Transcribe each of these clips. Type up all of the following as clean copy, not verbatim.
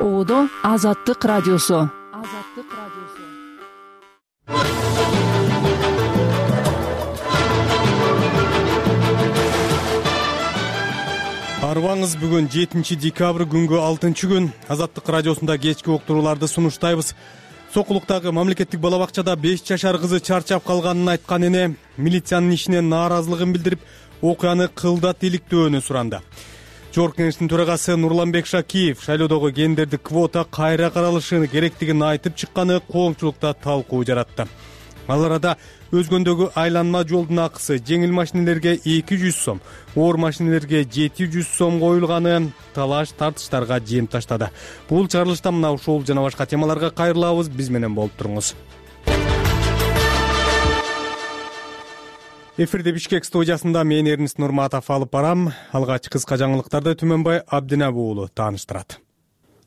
Оодо Азаттык радиосу. Арыбаңыз, бүгүн 7 декабрь күнгө 6 күн. Азаттык радиосунда кечки уктурууларды сунуштайбыз. Сокулуктагы мамлекеттик бала бакчада 5 жашар кызы чарчап калганын айткан эне милициянын ишине нааразылыгын билдирип, окуяны кылдат иликтөөнү суранды. Жогорку кеңештин төрагасы Нурланбек Шакиев шайлоодогу гендердик квота кайра каралышы керектигин айтып чыкканы коомчулукта талкуу жаратты. Ал арада өзгөндөгү айланма жолдун акысы жеңил машинелерге 200 сом, оор машинелерге 700 сом коюлганы талаш тартыштарга жем таштады. Бул чыгарылышта мына ушул жана башка темаларга кайрылабыз. Биз менен болуп туруңуз. Эфирде Бишкек студиясында мен Эрнис Нурматов алып барам. Алгач кыска жаңылыктарды Түмөнбай Абдинабы уулу тааныштырат.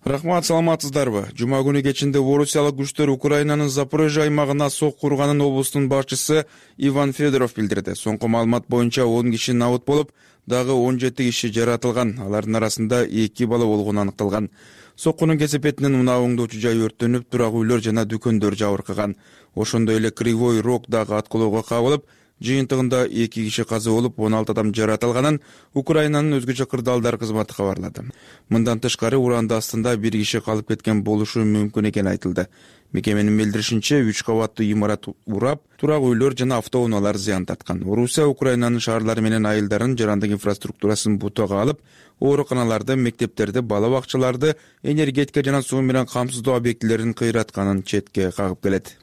Рахмат, саламатсыздарбы? Жума күнү кечинде орусиялык күчтөр Украинанын Запорожье аймагына сок курганын облустун башчысы Иван Федоров билдирди. Соңку маалымат боюнча 10 киши набыт болуп, дагы 17 киши жаратылган. Алардын арасында 2 бала болгону аныкталган. Соккунун кесепетинен унаа оңдоочу жай өрттөнүп, турак үйлөр жана дүкөндөр жабыркаган. Ошондой эле Кривой Рог дагы аткылоого кабылып, жыйынтыгында 2 киши каза болуп, 16 адам жаратылганын Украинанын өзгөчө кырдаалдар кызматы кабарлады. Мындан тышкары уранды астында 1 киши калып кеткен болушу мүмкүн экени айтылды. Мекеменин билдиришинче 3 кабаттуу имарат урап, турак үйлөр жана автоунаалар зыян тарткан. Орусия Украинанын шаарлары менен айылдарын жарандык инфраструктурасын бутага алып, ооруканаларды, мектептерди, бала бакчаларды, энергетика жана суу менен камсыздоо объектилерин кыйратканын четке кагып келет.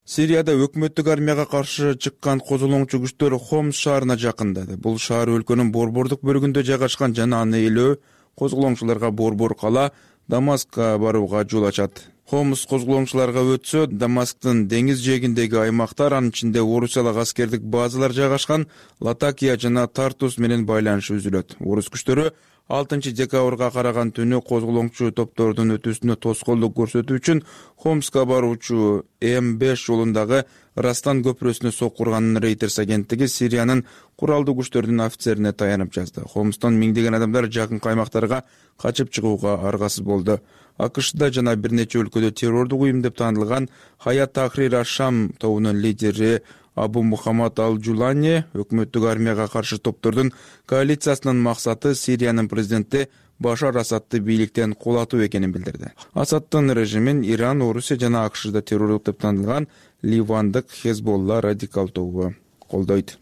Сирияда өкмөттүк армияга каршы чыккан козголоңчу күчтөр Хомс шаарына жакындады. Бул шаар өлкөнүн борбордук бөлүгүндө жайгашкан жана аны ээлөө козголоңчуларга борбор кала Дамаскка барууга жол ачат. Хомс козголоңчуларга өтсө, Дамасктын деңиз жээгиндеги аймактар, анын ичинде орусиялык аскердик базалар жайгашкан Латакия жана Тартус менен байланышы үзүлөт. Орус күчтөрү 6 декабрга караган түнү козголоңчу топтордун өтүүсүнө тоскоолдук көрсөтүү үчүн Хомска баруучу М5 жолундагы Растан көпүрөсүнө сок курганын Reuters агенттиги Сириянын куралдуу күчтөрдүн офицерине таянып жазды. Хомстон миңдеген адамдар жакын аймактарга качып чыгууга аргасыз болду. АКШда жана бир нече өлкөдө террордук уюм деп таанылган Хаят Тахрир аш-Шам тобунун лидери Абу Мухаммад Ал-Жулани өкмөттүк армияга каршы топтордун коалициясынын максаты Сириянын президенти Башар Асадты бийликтен кулатуу экенин билдирди. Асадтын режимин Иран, Орусия жана АКШда террорлук деп таанылган Ливандык Хезболла радикал тобу колдойт.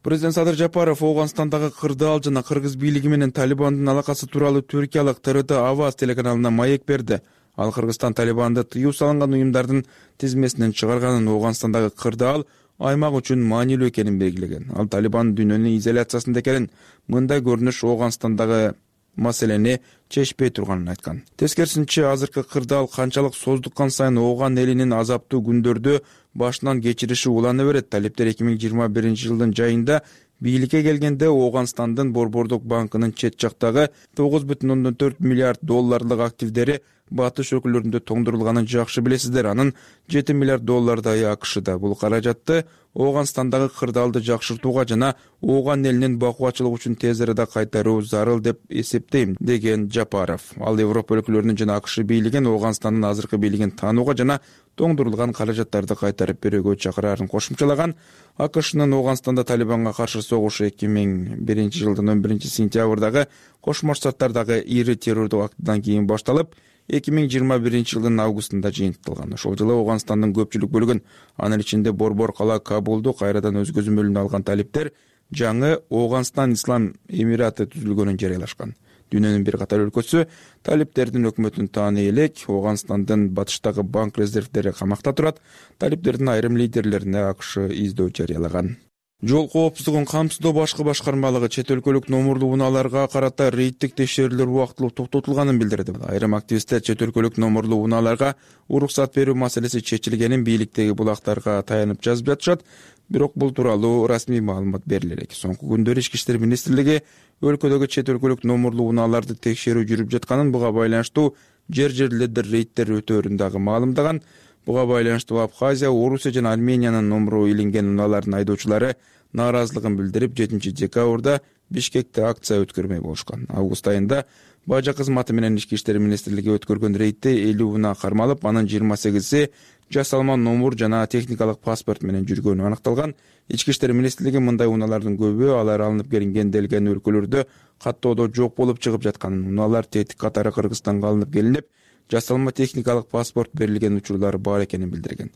Президент Садыр Жапаров Ооганстандагы кырдаал жана кыргыз бийлиги менен Талибандын алакасы тууралуу түркиялык ТРТ Аваз телеканалына маек берди. Ал Кыргызстан Талибанды тыюу салынган уюмдардын тизмесинен чыгарганын, Ооганстандагы кырдаал аймак үчүн маанилүү экенин белгилеген. Ал Талибан дүйнөнүн изоляциясында экенин, мындай көрүнүш Ооганстандагы маселени чечпей турганын айткан. Тескерисинче, азыркы кырдаал канчалык создуккан сайын Ооган элинин азаптуу күндөрдү башынан кечириши улана берет. Талиптер 2021 жылдын жайында бийликке келгенде Ооганстандын борбордук банкынын чет жактагы 9,4 миллиард долларлык активдери батыш өлкөлөрүндө тоңдурулганын жакшы билесиздер. Анын 7 миллиард доллардай АКШда. Бул каражатты Ооганстандагы кырдаалды жакшыртууга жана Ооган элинин бакубатчылыгы үчүн тез арада кайтаруу зарыл деп эсептейм, деген Жапаров. Ал Европа өлкөлөрүнүн жана АКШ бийлигин Ооганстандын азыркы бийлигин таанууга жана тоңдурулган каражаттарды кайтарып берүүгө чакырарын кошумчалаган. АКШнын Ооганстанда Талибанга каршы согушу 2001 жылдын 11 сентябрдагы Кошмо Штаттардагы ири террордук актыдан кийин башталып, 2021 жылдын августунда жыйынтыкталган. Ошол жылы Ооганстандын көпчүлүк бөлүгүн, анын ичинде борбор кала Кабулду кайрадан өз көзөмөлүнө алган талиптер жаңы Ооганстан Ислам Эмираты түзүлгөнүн жарыялашкан. Дүйнөнүн бир катар өлкөсү талиптердин өкмөтүн тааны элек. Ооганстандын батыштагы банк резервдери камакта турат. Талиптердин айрым лидерлерине АКШ издөө жарыялаган. Жол коопсуздугун камсыздоо башкы башкармалыгы чет өлкөлүк номурлуу унааларга карата рейдтик текшерүүлөр убактылуу токтотулганын билдирди. Айрым активисттер чет өлкөлүк номурлуу унааларга уруксат берүү маселеси чечилгенин бийликтеги булактарга таянып жазып жатышат. Бирок бул тууралуу расмий маалымат бериле элек. Соңку күндөрү Ички иштер министрлиги өлкөдөгү чет өлкөлүк номурлуу унааларды текшерүү жүрүп жатканын, буга байланыштуу жер-жерлерде рейдтер өтөөрүн дагы маалымдаган. Буга байланыштуу Абхазия, Орусия жана Армениянын номуру илинген унаалардын айдоочулары нааразылыгын билдирип, 7 декабрда Бишкекте акция өткөрмөй болушкан. Август айында Бажа кызматы менен Ички иштер министрлиги өткөргөн рейдте 50 унаа кармалып, анын 28 жасалма номур жана техникалык паспорт менен жүргөнү аныкталган. Ички иштер министрлиги мындай унаалардын көбү алар алынып келинген өлкөлөрдө каттоодо жок болуп чыгып жатканын, унаалар тетик катары Кыргызстанга алынып келинип, жасалма техникалык паспорт берилген учурлар бар экенин билдирген.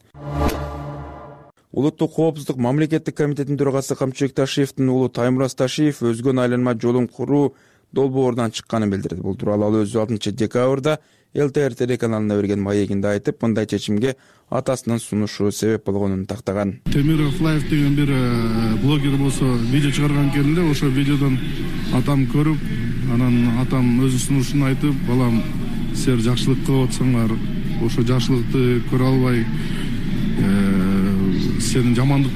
Улуттук коопсуздук мамлекеттик комитетинин төрагасы Камчыбек Ташиевдин уулу Таймураз Ташиев өзгөн айланма жолун куруу долбоорунан чыкканын билдирди. Бул тууралуу ал өзү 6-декабрда ЛТР телеканалына берген маегинде айтып, мындай чечимге атасынын сунушу себеп болгонун тактаган. Темиров Лайф деген бир блогер болсо видео чыгарган кезинде ошо видеодон атам көрүп, анан атам өзүнүн сунушун айтып, балам силер жакшылык кылып атсаңар, ошо жакшылыкты көрө албай сен жаман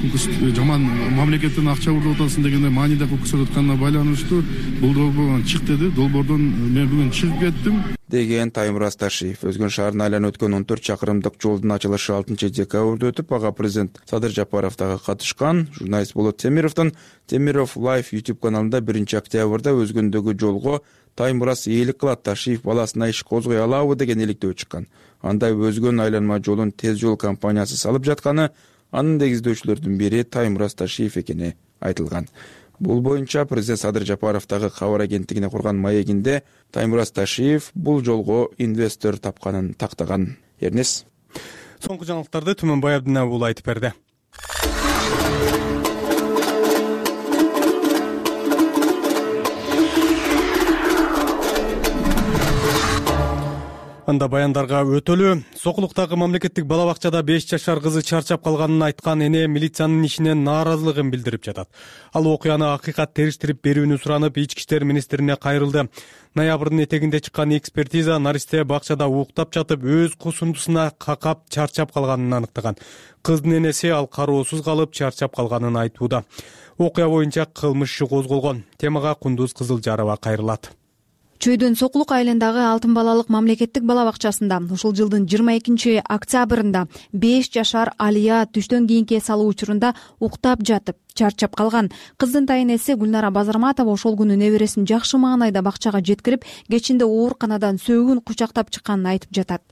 мамлекеттен акча уруп атасың дегенде мааниде көрсөтүп атканына байланыштуу бул долбоордон чык деди. Долбоордон мен бүгүн чыгып кеттим деген Таймураз Ташиев. Өзгөн шаарына айланып өткөн 14 чакырымдык жолдун ачылышы 6-декабрда өтүп, ага президент Садыр Жапаров дагы катышкан. Журналист Болот Темировдун Темиров Life YouTube каналында 1-октябрда өзгөндөгү жолго Таймураз ээлик кылат, Ташиев баласына иш козгой алабы деген иликтөө чыккан. Андай өзгөн айланма жолун Тез жол компаниясы салып жатканы, анын негиздөөчүлөрдүн бири Таймураз Ташиев экени айтылган. Бул боюнча президент Садыр Жапаров дагы кабар агенттигине курган маегинде Таймураз Ташиев бул жолго инвестор тапканын тактаган. Эрнес. Соңку жаңылыктарды Түмөнбай Абдинабы уулу айтып берди. Анда баяндарга өтөлү. Сокулуктагы мамлекеттик бала бакчада 5 жашар кызы чарчап калганын айткан эне милициянын ишинен нааразылыгын билдирип жатат. Ал окуяны акыйкат териштирип берүүнү суранып, Ички иштер министрине кайрылды. Ноябрдын этегинде чыккан экспертиза наристе бакчада уктап жатып, өз кусундусуна какап чарчап калганын аныктаган. Кыздын энеси ал кароосуз калып чарчап калганын айтууда. Окуя боюнча кылмыш иши козголгон. Темага Кундуз Кызылжарова кайрылат. Чөйдөн Сокулук айылындагы Алтын балалык мамлекеттик бала бакчасында ушул жылдын 22-октябрында 5 жашар Алия түштөн кийинки эс алуу учурунда уктап жатып чарчап калган. Кыздын тайнеси Гүлнара Базарматова ошол күнү небересин жакшы маанайда бакчага жеткирип, кечинде ооруканадан сөөгүн кучактап чыкканын айтып жатат.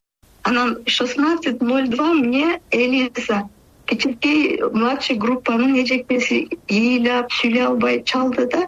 Анан 16:02 мне Элиза, кичинекей младший группанын эжекеси ыйлап сүйлөй албай чалды да: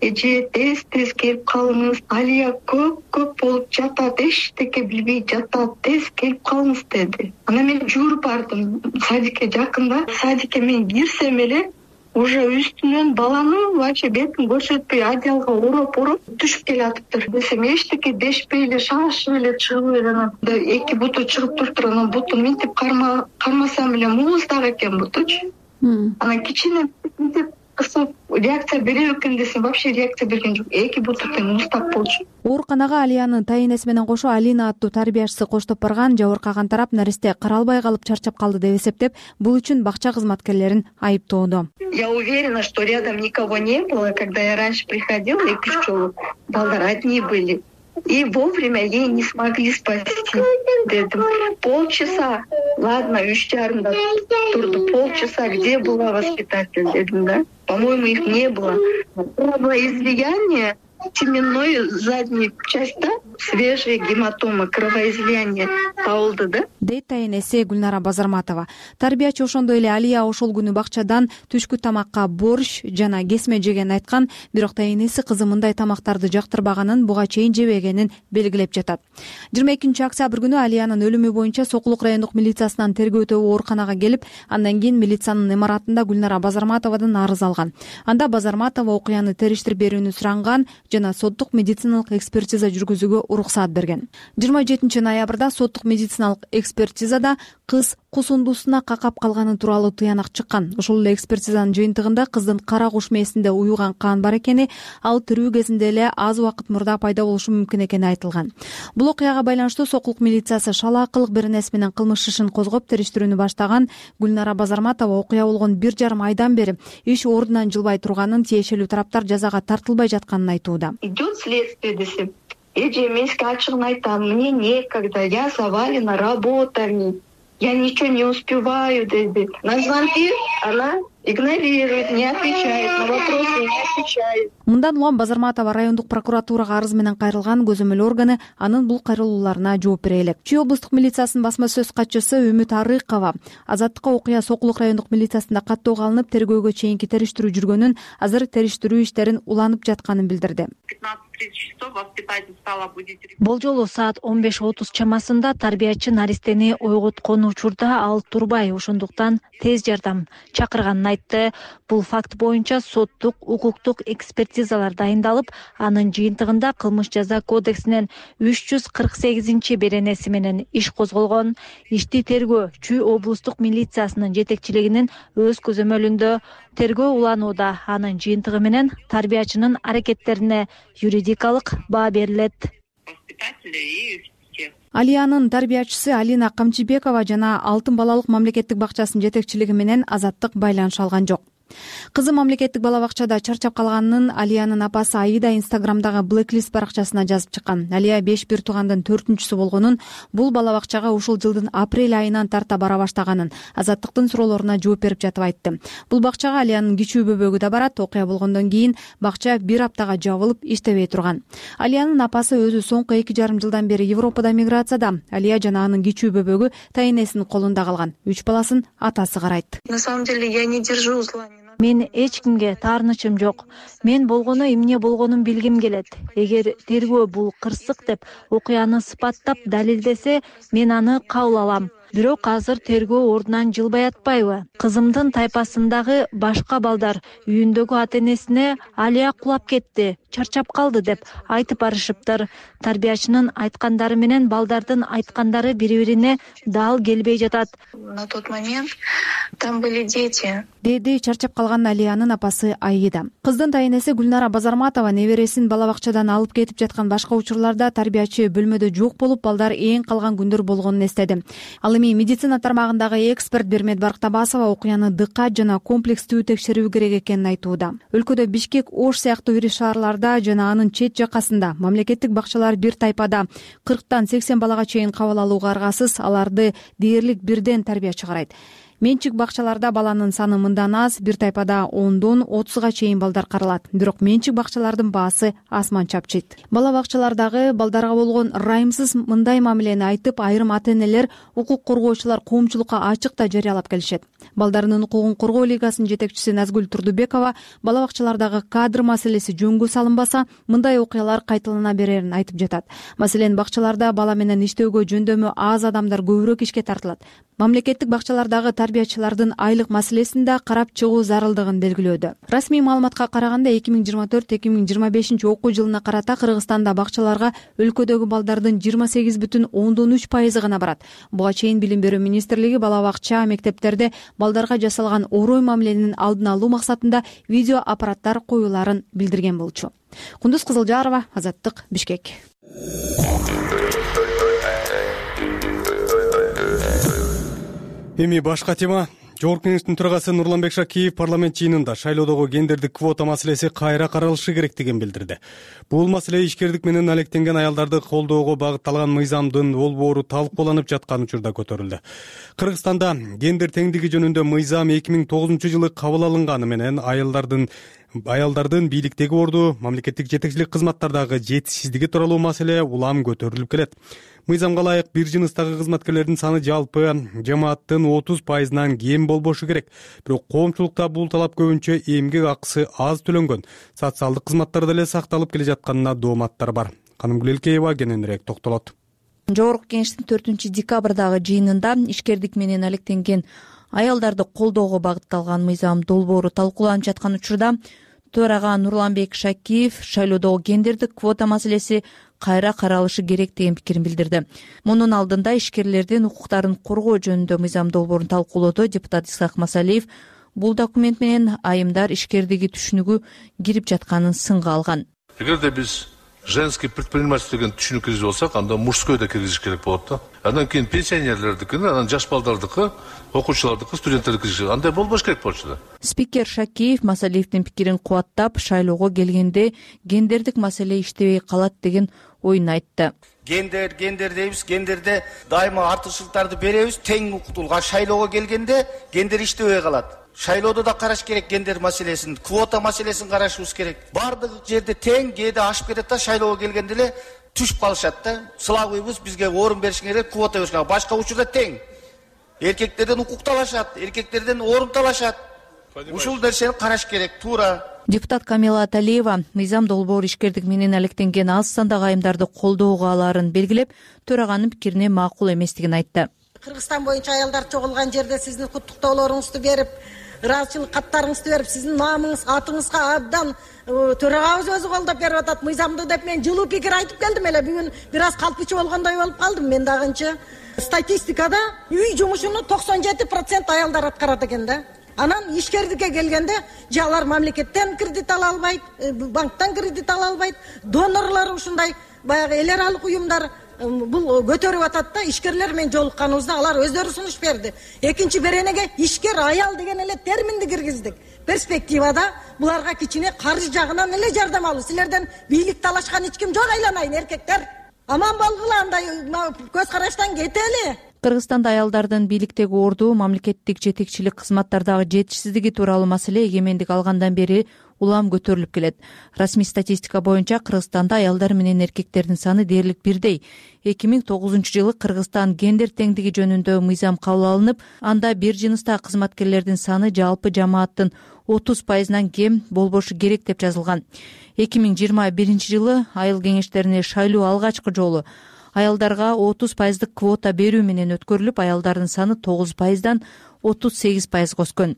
эже тез келип калыңыз, Алия көп болуп жатат, эчтеке билбей жатат, тез келип калыңыз деди. Анан мен жүгүрүп бардым садикке жакында. Садикке мен кирсем эле уже үстүнөн баланын вообще бетин көрсөтпөй одеялга ороп түшүп келатыптыр. Десем эчтеке дешпей эле шашып эле чыгып эле анан эки буту чыгып туруптур. Анан бутун минтип кармасам эле муз дагы экен бутучу. Анан кичине минтип кысып реакция бере экен десем, вообще реакция берген жок. Эки буту тең муздак болчу. Ооруканага Алиянын тайнеси менен кошо Алина аттуу тарбиячысы коштоп барган. Жабыркаган тарап наристе каралбай калып чарчап калды деп эсептеп, бул үчүн бакча кызматкерлерин айыптоодо. Я уверена, что рядом никого не было, когда я раньше приходила и пчелы. Балдар одни были. И вовремя ей не смогли спасти. Дедим. Полчаса. Ладно, 3:30 турду. Полчаса. Где была воспитатель? Дедим, да? По-моему, их не было. Было излияние теменной задней части, свежие гематомы, кровоизлияние табылды, да? Дейт тайнеси Гүлнара Базарматова. Тарбиячы ошондой эле Алия ошол күнү бакчадан түшкү тамакка борщ жана кесме жеген айткан, бирок тайнеси кызы мындай тамактарды жактырбаганын, буга чейин жебегенин белгилеп жатат. 22-октябрь күнү Алиянын өлүмү боюнча Сокулук райондук милициясынан тергөө ооруканага келип, андан кийин милициянын имаратында Гүлнара Базарматовадан арыз алган. Анда Базарматова окуяны териштирип берүүнү суранган жана соттук медициналык экспертиза жүргүзүүгө уруксаат берген. 27 ноябрда соттук медициналык экспертизада кыз кусундусуна какап калганы тууралуу тыянак чыккан. Ошол эле экспертизанын жыйынтыгында кыздын кара куш мээсинде уюган кан бар экени, ал тирүү кезинде эле аз убакыт мурда пайда болушу мүмкүн экени айтылган. Бул окуяга байланыштуу Сокулук милициясы шалаакылык беренеси менен кылмыш ишин козгоп териштирүүнү баштаган. Гүлнара Базарматова окуя болгон 1,5 айдан бери иш ордунан жылбай турганын, тиешелүү тараптар жазага тартылбай жатканын айтууда. Идет следствие, десем. Эже, мен сизге ачыгын айтам, мне некогда, я завалена работами, я ничего не успеваю, деди. На звонки она игнорирует, не отвечает на вопросы, не отвечает. Мындан улам Базарматова райондук прокуратурага арыз менен кайрылган көзөмөл органы анын бул кайрылууларына жооп бере элек. Чүй облустук милициясынын басма сөз катчысы Үмүт Арыкова Азаттыкка окуя Сокулук райондук милициясында каттоого алынып, тергөөгө чейинки териштирүү жүргөнүн, азыр териштирүү иштерин уланып жатканын билдирди. 15:30 часов воспитатель стала будить. Бул жолу саат 15:30 чамасында тарбиячы наристени ойготкон учурда ал турбай, ошондуктан тез жардам чакырганын айтты. Бул факт боюнча соттук, укуктук экспертизалар дайындалып, анын жыйынтыгында кылмыш жаза кодексинин 348 беренеси менен иш козголгон. Ишти тергөө Чүй облустук милициясынын жетекчилигинин өз көзөмөлүндө тергөө уланууда. Анын жыйынтыгы менен тарбиячынын аракеттерине юридикалык баа берилет. Алиянын тарбиячысы Алина Камчыбекова жана Алтын балалык мамлекеттик бакчасынын жетекчилиги менен Азаттык байланыша алган жок. Кызы мамлекеттик бала бакчада чарчап калганын Алиянын апасы Аида Инстаграмдагы Blacklist баракчасына жазып чыккан. Алия 5 бир туугандын 4-сү болгонун, бул бала бакчага ушул жылдын апрель айынан тарта бара баштаганын Азаттыктын суроолоруна жооп берип жатып айтты. Бул бакчага Алиянын кичүү бөбөгү да барат. Окуя болгондон кийин бакча 1 аптага жабылып, иштебей турган. Алиянын апасы өзү соңку 2,5 жылдан бери Европада миграцияда. Алия жана анын кичүү бөбөгү тайнесинин колунда калган. 3 баласын атасы карайт. На самом деле я не держу зла. Мен эч кимге таарынычым жок. Мен болгону эмне болгонун билгим келет. Эгер тергөө бул кырсык деп окуяны сыпаттап далилдесе, мен аны кабыл алам. Бирок азыр тергөө ордунан жылбай атпайбы? Кызымдын тайпасындагы башка балдар үйүндөгү ата-энесине Алия кулап кетти, чарчап калды деп айтып барышыптыр. Тарбиячынын айткандары менен балдардын айткандары бири-бирине дал келбей жатат. На тот момент там были дети. Деди чарчап калган Алиянын апасы Аида. Кыздын тайнеси Гүлнара Базарматова небересин бала бакчадан алып кетип жаткан башка учурларда тарбиячы бөлмөдө жок болуп, балдар эң калган күндөр болгонун эстеди. Ал эми медицина тармагындагы эксперт Бермет Барктабасова окуяны дыккат жана комплекстүү текшерүү керек экенин айтууда. Өлкөдө Бишкек, Ош сыяктуу ири шаарларда жана анын чет жакасында мамлекеттик бакчалар бир тайпада 40-тан 80 балага чейин кабыл алууга аргасыз, аларды дээрлик бирден тарбиячы карайт. Менчик бакчаларда баланын саны мындан аз, бир тайпада 10-дон 30га чейин балдар каралат. Бирок менчик бакчалардын баасы асман чапчыйт. Бала бакчалардагы балдарга болгон ырайымсыз мындай мамилени айтып, айрым ата-энелер, укук коргоочулар коомчулукка ачык да жарыялап келишет. Балдарынын укугун коргоо лигасынын жетекчиси Назгүл Турдубекова бала бакчалардагы кадр маселеси жөнгө салынбаса, мындай окуялар кайталана берерин айтып жатат. Маселен, бакчаларда бала менен иштөөгө жөндөмү аз адамдар көбүрөөк ишке тартылат. Мамлекеттик бакчалардагы тарбиячылардын айлык маселесин да карап чыгуу зарылдыгын белгилөөдө. Расмий маалыматка караганда 2024-2025 окуу жылына карата Кыргызстанда бакчаларга өлкөдөгү балдардын 28,3% гана барат. Буга чейин Билим берүү министрлиги бала бакча, мектептерде балдарга жасалган орой мамиленин алдын алуу максатында видео аппараттар коюуларын билдирген болчу. Кундуз Кызылжарова, Азаттык, Бишкек. Эми башка тема. Жогорку кеңештин төрагасы Нурланбек Шакиев парламент жыйынында шайлоодогу гендердик квота маселеси кайра каралышы керектигин билдирди. Бул маселе ишкердик менен алектенген аялдарды колдоого багытталган мыйзамдын болбоору талкууланып жаткан учурда көтөрүлдү. Кыргызстанда гендер теңдиги жөнүндө мыйзам 2009-жылы кабыл алынганы менен аялдардын бийликтеги орду, мамлекеттик жетекчилик кызматтардагы жетишсиздиги тууралуу маселе улам көтөрүлүп келет. Мыйзамга ылайык бир жыныстагы кызматкерлердин саны жалпы жамааттын 30%-нан кем болбошу керек. Бирок коомчулукта бул талап көбүнчө эмгек акысы аз төлөнгөн, социалдык кызматтар деле сакталып келе жатканына дооматтар бар. Канымгүл Элкеева кененирээк токтолот. Жогорку кеңештин 4-декабрдагы жыйынында ишкердик менен алектенген аялдарды колдоого багытталган мыйзам долбоору талкууланып жаткан учурда төрага Нурланбек Шакиев шайлоодогу гендердик квота маселеси кайра каралышы керек деген пикирин билдирди. Мунун алдында ишкерлердин укуктарын коргоо жөнүндө мыйзам долбоорун талкуулоодо депутат Исхак Масалиев бул документ менен айымдар ишкердиги түшүнүгү кирип жатканын сынга алган. Эгерде биз женский предпринимательство деген түшүнүк киргизип алсак, анда мужской да киргизиш керек болот да. Андан кийин пенсионерлердикини, анан жаш балдардыкы, окуучулардыкы, студенттердики киргизиш. Андай болбош керек болчу да. Спикер Шакиев Масалиевдин пикирин кубаттап, шайлоого келгенде гендердик маселе иштебей калат деген оюн айтты. Гендер дейбиз, гендерде дайыма артыкчылыктарды беребиз, тең укуктуулукка шайлоого келгенде гендер иштебей калат. Шайлоодо да караш керек гендер маселесин, квота маселесин карашыбыз керек. Бардык жерде тең, кээде ашып кетет да шайлоого келгенде эле түшүп калышат да. Сылабыйбыз, бизге орун беришиңер керек, квота беришиңер. Башка учурда тең. Эркектерден укук талашат, эркектерден орун талашат. Ушул нерсени караш керек, туура. Депутат Камила Аталиева мыйзам долбоор ишкердик менен алектенген аз сандагы айымдарды колдоого алаарын белгилеп, төраганын пикирине макул эместигин айтты. Кыргызстан боюнча аялдар чогулган жерде сиздин куттуктоолоруңузду берип, ыраазычылык каттарыңызды берип, сиздин наамыңыз, атыңызга абдан төрагабыз өзү колдоп берип атат. Мыйзамды деп мен жылуу пикир айтып келдим эле. Бүгүн бир аз калтычы болгондой болуп калдым мен дагынчы. Статистикада үй жумушуну 97% аялдар аткарат экен да. Анан ишкердикке келгенде же алар мамлекеттен кредит ала албайт, банктан кредит ала албайт, донорлор ушундай баягы эл аралык уюмдар бул көтөрүп атат да. Ишкерлер менен жолукканыбызда алар өздөрү сунуш берди. Экинчи беренеге ишкер аял деген эле терминди киргиздик. Перспективада буларга кичине каржы жагынан эле жардам алуу. Силерден бийлик талашкан эч ким жок, айланайын эркектер. Аман болгула, андай көз караштан кетели. Кыргызстанда аялдардын бийликтеги орду, мамлекеттик жетекчилик кызматтардагы жетишсиздиги тууралуу маселе эгемендик алгандан бери улам көтөрүлүп келет. Расмий статистика боюнча Кыргызстанда аялдар менен эркектердин саны дээрлик бирдей. 2009-жылы Кыргызстан гендер теңдиги жөнүндө мыйзам кабыл алынып, анда бир жыныстагы кызматкерлердин саны жалпы жамааттын 30%нан кем болбошу керек деп жазылган. 2021-жылы айыл кеңештерине шайлоо алгачкы жолу аялдарга 30% квота берүү менен өткөрүлүп, аялдардын саны 9%дан 38% өскөн.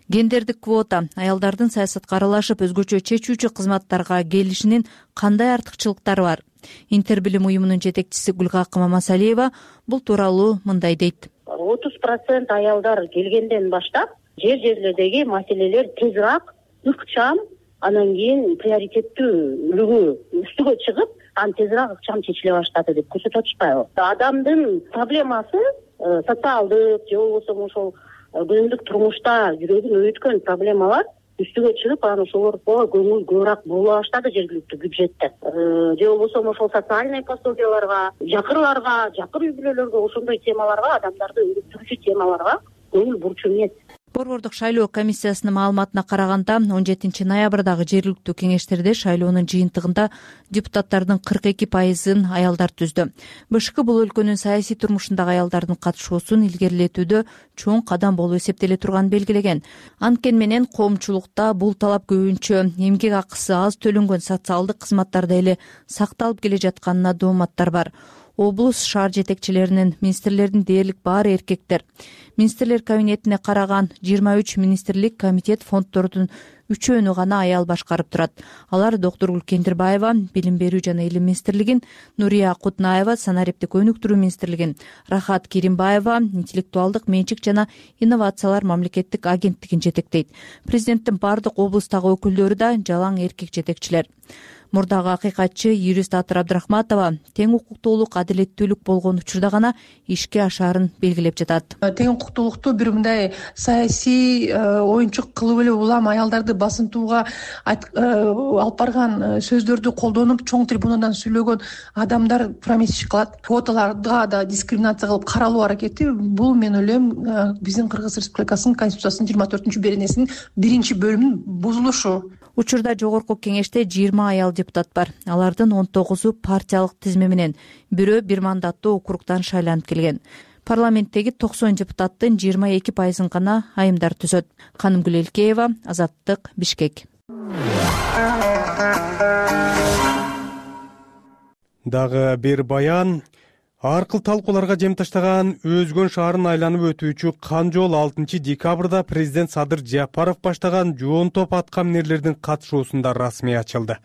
Гендердик квота аялдардын саясатка аралашып, өзгөчө чечүүчү кызматтарга келишинин кандай артыкчылыктары бар? Интербилим уюмунун жетекчиси Гүлгакы Мамасалиева бул тууралуу мындай дейт. 30% аялдар келгенден баштап жер-жерлердеги маселелер тезирээк, ыкчам, анан кийин приоритеттүүлүгү үстүгө чыгып, тезирээк ыкчам чечиле баштады деп көрсөтүп атышпайбы? Адамдын проблемасы социалдык же болбосо ошол күнүмдүк турмушта жүрөгүн өйүткөн проблемалар үстүгө чыгып, анан ошолорго көңүл көбүрөөк бурула баштады жергиликтүү бюджетте. Же болбосо ошол социальный пособияларга, жакырларга, жакын үй бүлөлөргө, ошондой темаларга, адамдарды өнүктүрүүчү темаларга көңүл бурчу эмес. Борбордук шайлоо комиссиясынын маалыматына караганда 17 ноябрдагы жергиликтүү кеңештерде шайлоонун жыйынтыгында депутаттардын 42%-ын аялдар түздү. БШК бул өлкөнүн саясий турмушундагы аялдардын катышуусун илгерилетүүдө чоң кадам болуп эсептеле турганын белгилеген. Анткени менен коомчулукта бул талап көбүнчө эмгек акысы аз төлөнгөн социалдык кызматтарда эле сакталып келе жатканына дооматтар бар. Облус, шаар жетекчилеринин, министрлердин дээрлик баары эркектер. Министрлер кабинетине караган 23 министрлик, комитет, фонддордун 3-өөнү гана аял башкарып турат. Алар доктор Гүлкендирбаева, Билим берүү жана илим министрлигин, Нурия Кутнаева, санариптик өнүктүрүү министрлигин, Рахат Керимбаева, интеллектуалдык менчик жана инновациялар мамлекеттик агенттигин жетектейт. Президенттин бардык облустагы өкүлдөрү да жалаң эркек жетекчилер. Мурдагы акыйкатчы юрист Атыр Абдрахматова тең укуктуулук, адилеттүүлүк болгон учурда гана ишке ашаарын белгилеп жатат. Тең укуктуулукту бир мындай саясий оюнчук кылып эле улам аялдарды басынтууга алып барган сөздөрдү колдонуп, чоң трибунадан сүйлөгөн адамдар промесчик кылат. Квоталарга да дискриминация кылып каралуу аракети бул, мен ойлойм, биздин Кыргыз Республикасынын Конституциясынын 24-беренесинин 1-бөлүмүнүн бузулушу. Учурда жогорку кеңеште 20 аял депутат бар. Алардын 19-у партиялык тизме менен, бирөө бир мандаттуу округдан шайланып келген. Парламенттеги 90 депутаттын 22%-ын гана айымдар түзөт. Канымгүл Элкеева, Азаттык, Бишкек. Дагы бир баян. Аркыл талкууларга жем таштаган Өзгөн шаарын айланып өтүүчү Канжол 6 декабрда президент Садыр Жапаров баштаган жоон топ атка минерлердин катышуусунда расмий ачылды.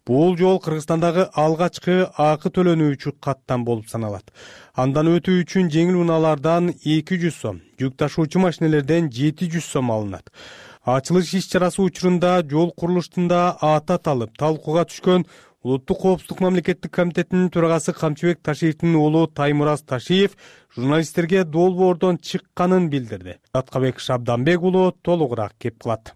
Бул жол Кыргызстандагы алгачкы акы төлөнүүчү каттам болуп саналат. Андан өтүү үчүн жеңил унаалардан 200 сом, жүк ташуучу машинелерден 700 сом алынат. Ачылыш иш-чарасы учурунда жол курулуштунда аты аталып, талкууга түшкөн Улуттук коопсуздук мамлекеттик комитетинин төрагасы Камчыбек Ташиевдин уулу Таймураз Ташиев журналисттерге долбоордон чыкканын билдирди. Аткабек Шабданбек уулу толугураак кеп кылат.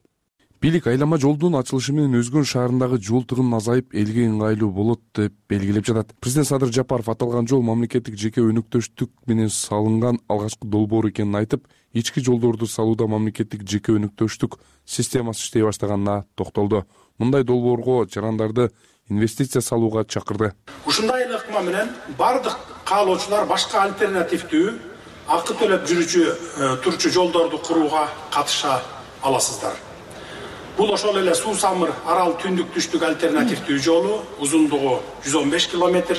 Бийлик айлама жолдун ачылышы менен Өзгөн шаарындагы жол тыгын азайып, элге ыңгайлуу болот деп белгилеп жатат. Президент Садыр Жапаров аталган жол мамлекеттик жеке өнөктөштүк менен салынган алгачкы долбоор экенин айтып, ички жолдорду салууда мамлекеттик жеке өнөктөштүк системасы иштей баштаганына токтолду. Мындай долбоорго жарандарды инвестиция салууга чакырды. Ушундай эле ыкма менен бардык каалоочулар башка альтернативдүү акы төлөп жүрүүчү турчу жолдорду курууга катыша аласыздар. Бул ошол эле Суу-Самыр Арал түндүк түштүк альтернативдүү жолу, узундугу 115 километр,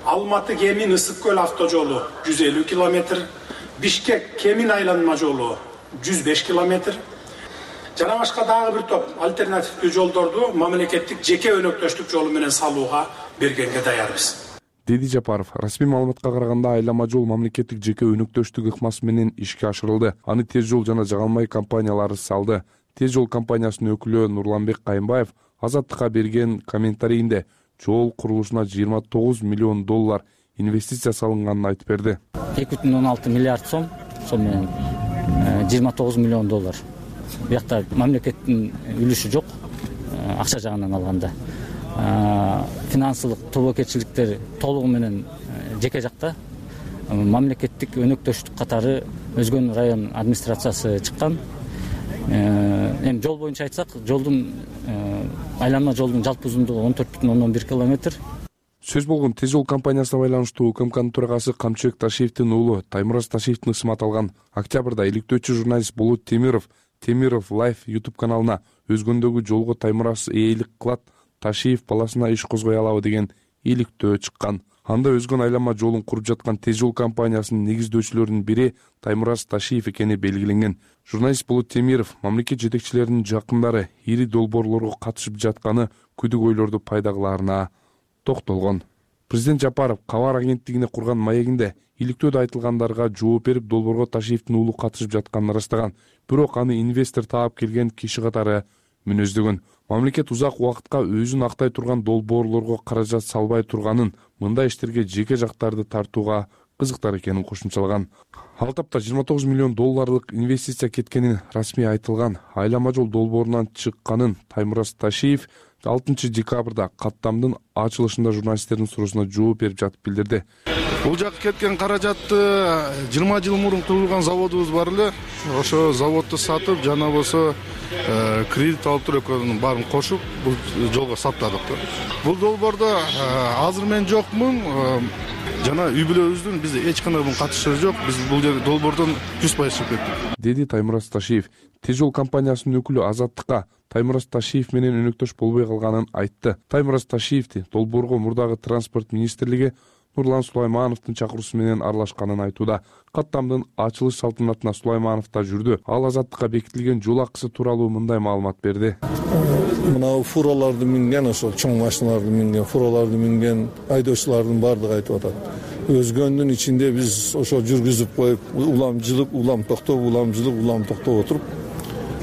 Алматы Кемин Ысык көл автожолу 150 километр, Бишкек Кемин айланма жолу 105 километр. Жана башка дагы бир топ альтернативдүү жолдорду мамлекеттик жеке өнөктөштүк жолу менен салууга бергенге даярбыз. Деди Жапаров, расмий маалыматка караганда айлама жол мамлекеттик жеке өнөктөштүк ыкмасы менен ишке ашырылды. Аны Тез жол жана Жагалмай компаниялары салды. Тез жол компаниясынын өкүлү Нурланбек Кайымбаев Азаттыкка берген комментарийинде жол курулушуна 29 миллион доллар инвестиция салынганын айтып берди. 2,16 миллиард сом менен 29 миллион доллар. Буякта мамлекеттин үлүшү жок, акча жагынан алганда. Финансылык тобокелчиликтер толугу менен жеке жакта. Мамлекеттик өнөктөштүк катары Өзгөн район администрациясы чыккан. Эми жол боюнча айтсак, жолдун айланма жолдун жалпы узундугу 14,11 километр. Сөз болгон Тез жол компаниясына байланыштуу УКМКнын төрагасы Камчыбек Ташиевдин уулу Таймураз Ташиевдин ысымы аталган. Октябрда иликтөөчү журналист Болот Темиров Live YouTube каналына Өзгөндөгү жолго Таймураз ээлик кылат, Ташиев баласына иш козгой алабы деген иликтөө чыккан. Анда Өзгөн айланма жолун куруп жаткан Тез жол компаниясынын негиздөөчүлөрүнүн бири Таймураз Ташиев экени белгиленген. Журналист Болот Темиров мамлекет жетекчилеринин жакындары ири долбоорлорго катышып жатканы күдүк ойлорду пайда кылаарына токтолгон. Президент Жапаров кабар агенттигине курган маегинде иликтөөдө айтылгандарга жооп берип, долбоорго Ташиевдин уулу катышып жатканын ырастаган. Бирок аны инвестор таап келген киши катары мүнөздөгөн. Мамлекет узак убакытка өзүн актай турган долбоорлорго каражат салбай турганын, мындай иштерге жеке жактарды тартууга кызыктар экенин кошумчалаган. Ал тапта 29 миллион долларлык инвестиция кеткенин расмий айтылган. Айлама жол долбоорунан чыкканын Таймураз Ташиев 6 декабрда каттамдын ачылышында журналисттердин суроосуна жооп берип жатып билдирди. Бул жака кеткен каражатты 20 жыл мурун курулган заводубуз бар эле. Ошо заводду сатып, жана болсо кредит алып туруп экөөнүн баарын кошуп бул жолго саттадык. Бул долбоордо азыр мен жокмун, жана үй бүлөбүздүн бизде эч кандай катышы жок. Биз бул долбоордон 100% чыгып кеттик. Деди Таймураз Ташиев. Тез жол компаниясынын өкүлү Азаттыкка Таймураз Ташиев менен өнөктөш болбой калганын айтты. Таймураз Ташиевди долбоорго мурдагы транспорт министрлиги Нурлан Сулаймановдун чакыруусу менен аралашканын айтууда. Каттамдын ачылыш салтанатына Сулайманов да жүрдү. Ал Азаттыкка бекитилген жол акысы тууралуу мындай маалымат берди. Мына фураларды минген, ошол чоң машиналарды минген, фураларды минген айдоочулардын баардыгы айтып атат. Өзгөндүн ичинде биз ошо жүргүзүп коюп, улам жылып, улам токтоп, улам жылып, улам токтоп отуруп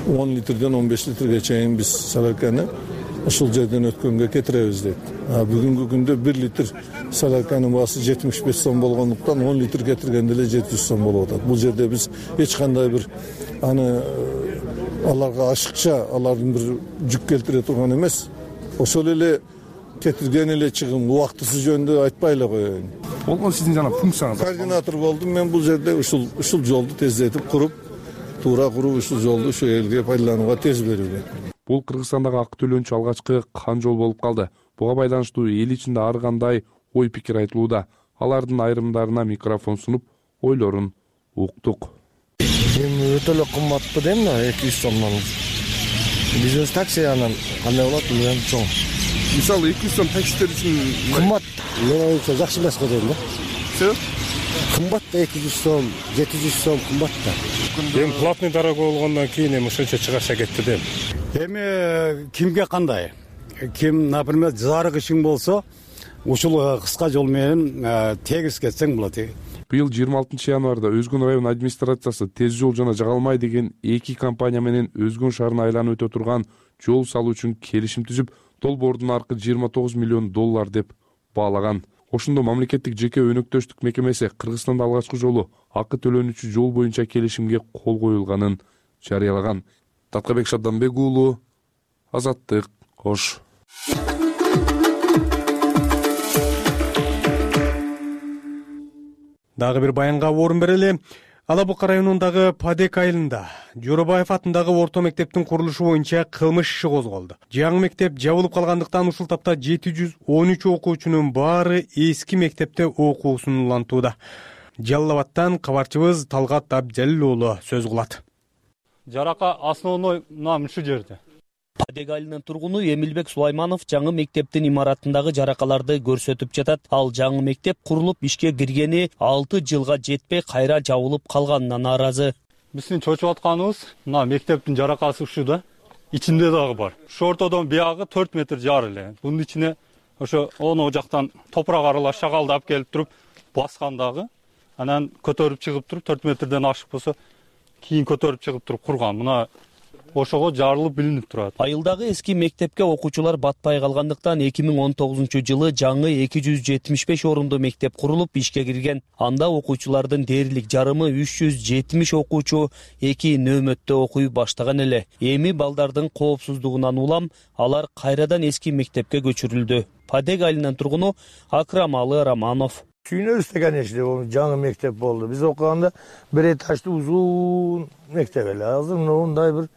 10 литрден 15 литрге чейин биз солярканы ушул жерден өткөнгө кетиребиз дейт. Бүгүнкү күндө 1 литр солярканын баасы 75 сом болгондуктан 10 литр кетиргенде эле 700 сом болуп атат. Бул жерде биз эч кандай бир аны аларга ашыкча, алардын бир жүк келтире турган эмес. Ошол эле кетирген эле чыгым убактысы жөнүндө айтпай эле коеюн. Болгон сиздин жана функцияңыз. Координатор болдум мен бул жерде ушул жолду тездетип куруп, туура куруп ушул жолду ошол элге пайдаланууга тез берүүгө. Бул Кыргызстандагы ак төлөнчү алгачкы кан жол болуп калды. Буга байланыштуу эл ичинде ар кандай ой пикир айтылууда. Алардын айрымдарына микрофон сунуп, ойлорун уктук. Эми өтө эле кымбатпы дейм да, 200 сомдон. Бизнес такси анан кандай болот билбейм, чоң. Мисалы 200 сом таксистер үчүн кымбат. Мен оюмча жакшы эмес го дейм да. Себеп? Кымбат да 200 сом, 700 сом кымбат да. Эми платный дорога болгондон кийин эми ушунча чыгарса кетти дейм. Эми кимге кандай? Ким, например, зарык ишиң болсо, ушул кыска жол менен тегиз кетсең болот. Быйыл 26 январда Өзгөн район администрациясы Тез жол жана Жагалмай деген эки компания менен Өзгөн шаарына айланып өтө турган жол салуу үчүн келишим түзүп, долбоордун аркы 29 миллион доллар деп баалаган. Ошондо мамлекеттик жеке өнөктөштүк мекемеси Кыргызстанда алгачкы жолу акы төлөнүүчү жол боюнча келишимге кол коюлганын жарыялаган. Таткабек Шабданбек уулу, Азаттык, Ош. Дагы бир баянга орун берели. Ала Бука районундагы Падек айылында Жоробаев атындагы орто мектептин курулушу боюнча кылмыш иши козголду. Жаңы мектеп жабылып калгандыктан ушул тапта 713 окуучунун баары эски мектепте окуусун улантууда. Жалал Абадтан кабарчыбыз Талгат Абджалил уулу сөз кылат. Жарака основной нам ушу жерде. Падек айылынын тургуну Эмилбек Сулайманов жаңы мектептин имаратындагы жаракаларды көрсөтүп жатат. Ал жаңы мектеп курулуп ишке киргени 6 жылга жетпей кайра жабылып калганына нааразы. Биздин чочуп атканыбыз мына мектептин жаракасы ушу да. Ичинде дагы бар. Ушу ортодон биягы 4 метр жар эле. Бунун ичине ошо оно жактан топурак аралаш шагалды алып келип туруп баскан дагы. Анан көтөрүп чыгып туруп 4 метрден ашык болсо кийин көтөрүп чыгып туруп курган. Мына ошого жарылып билинип турат. Айылдагы эски мектепке окуучулар батпай калгандыктан 2019-жылы жаңы 275 орунду мектеп курулуп ишке кирген. Анда окуучулардын дээрлик жарымы 370 окуучу 2 нөөмөттө окуй баштаган эле. Эми балдардын коопсуздугунан улам алар кайрадан эски мектепке көчүрүлдү. Падек айылынын тургуну Акрамалы Романов. Сүйүнөбүз да, конечно, жаңы мектеп болду. Биз окуганда бир этаждуу узун мектеп эле. Азыр мындай бир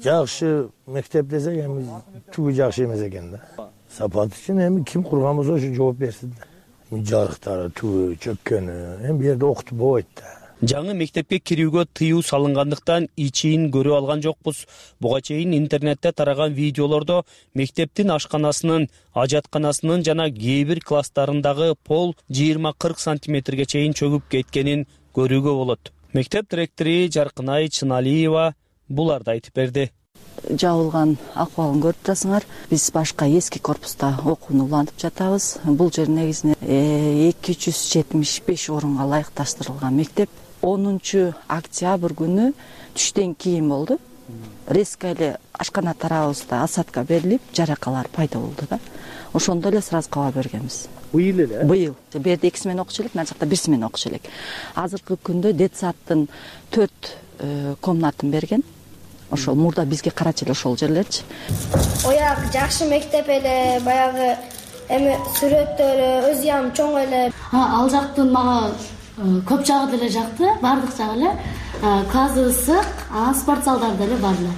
жакшы мектеп десек, эми түгү жакшы эмес экен да. Сапат үчүн эми ким курган болсо ошо жооп берсин да. Жарыктары түгү чөккөнү, эми бу жерде окутуп болбойт да. Жаңы мектепке кирүүгө тыюу салынгандыктан ичин көрүп алган жокпуз. Буга чейин интернетте тараган видеолордо мектептин ашканасынын, ажатканасынын жана кээ бир класстарындагы пол 20-40 сантиметрге чейин чөгүп кеткенин көрүүгө болот. Мектеп директору Жаркынай Чыналиева буларды айтып берди. Жабылган акыбалын көрүп турасыңар. Биз башка эски корпуста окууну улантып жатабыз. Бул жер негизинен 275 орунга ылайыкташтырылган мектеп. 10 октябрь күнү түштөн кийин болду. Резко эле ашкана тарабыбызда осадка берилип, жаракалар пайда болду да. Ошондо эле сразу кабар бергенбиз. Быйыл эле? Быйыл. Бу жерде 2 смена окуучу элек, мына жакта 1 смена окуучу элек. Азыркы күндө детсадтын 4 комнатын берген. Ошол мурда бизге карачы эле ошол жерлерчи. Ояк жакшы мектеп эле, баягы эми сүрөттөрү өзү ham чоң эле. Ал жактын мага көп жагы деле жакты, бардык жагы эле. Классы ысык, спорт залдары деле бар эле.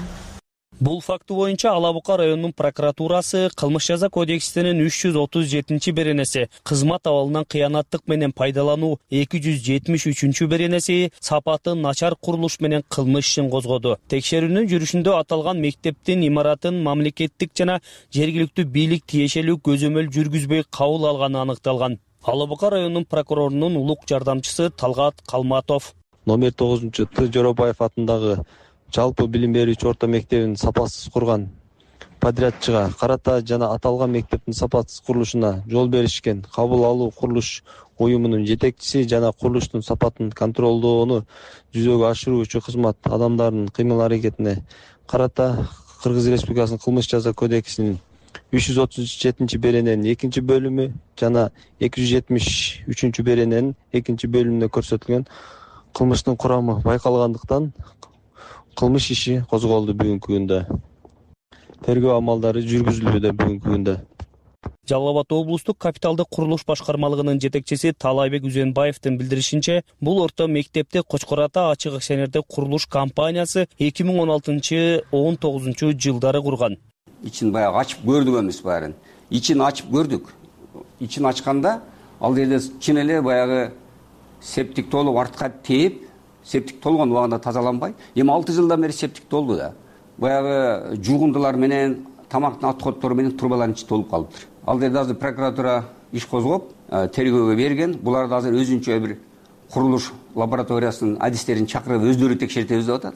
Бул факты боюнча Ала Бука районунун прокуратурасы кылмыш жаза кодексинин 337 беренеси, кызмат абалынан кыянаттык менен пайдалануу 273 беренеси, сапаты начар курулуш менен кылмыш ишин козгоду. Текшерүүнүн жүрүшүндө аталган мектептин имаратын мамлекеттик жана жергиликтүү бийлик тиешелүү көзөмөл жүргүзбөй кабыл алганы аныкталган. Ала Бука районунун прокурорунун улук жардамчысы Талгат Калматов. Номер 9-Т Жоробаев атындагы жалпы билим берүүчү орто мектебин сапасыз курган подрядчыга карата жана аталган мектептин сапасыз курулушуна жол беришкен кабыл алуу курулуш уюмунун жетекчиси жана курулуштун сапатын контролдоону жүзөгө ашыруучу кызмат адамдарынын кыймыл-аракетине карата Кыргыз Республикасынын кылмыш жаза кодексинин 337 берененин 2-бөлүмү жана 273 берененин 2-бөлүмүндө көрсөтүлгөн кылмыштын курамы байкалгандыктан кылмыш иши козголду бүгүнкү күндө. Тергөө амалдары жүргүзүлүүдө бүгүнкү күндө. Жалал Абад облустук капиталдык курулуш башкармалыгынын жетекчиси Талайбек Үзөнбаевдин билдиришинче, бул орто мектепти Кочкор Ата ачык акционердик курулуш компаниясы 2016-19 жылдары курган. Ичин баягы ачып көрдүк эмес баарын. Ичин ачып көрдүк. Ичин ачканда ал жерде чын эле баягы септик толуп артка тээп, септик толгон убагында тазаланбай, эми 6 жылдан бери септик толду да. Баягы жуугундулар менен, тамактын отходдору менен трубалардын ичи толуп калыптыр. Ал жерде азыр прокуратура иш козгоп, тергөөгө берген. Буларды азыр өзүнчө бир курулуш лабораториясынын адистерин чакырып өздөрү текшертебиз деп атат.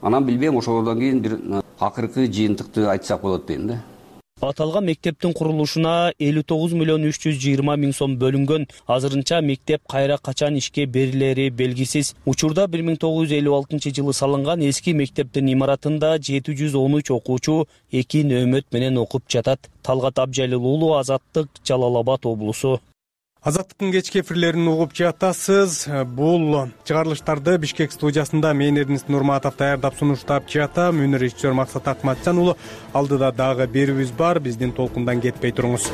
Анан билбейм, ошолордон кийин бир акыркы жыйынтыкты айтсак болот дейм да. Аталган мектептин курулушуна 59.320.000 сом бөлүнгөн. Азырынча мектеп кайра качан ишке берилери белгисиз. Учурда 1956-жылы салынган эски мектептин имаратында 713 окуучу 2 нөөмөт менен окуп жатат. Талгат Абджалил уулу, Азаттык, Жалал Абад облусу. Азаттыктын кечки эфирлерин угуп жатасыз. Бул чыгарылыштарды Бишкек студиясында мен Эрдинис Нурматов даярдап сунуштап жатам. Өнөр ишчиси Максат Акматжан уулу. Алдыда дагы берүүбүз бар. Биздин толкундан кетпей туруңуз.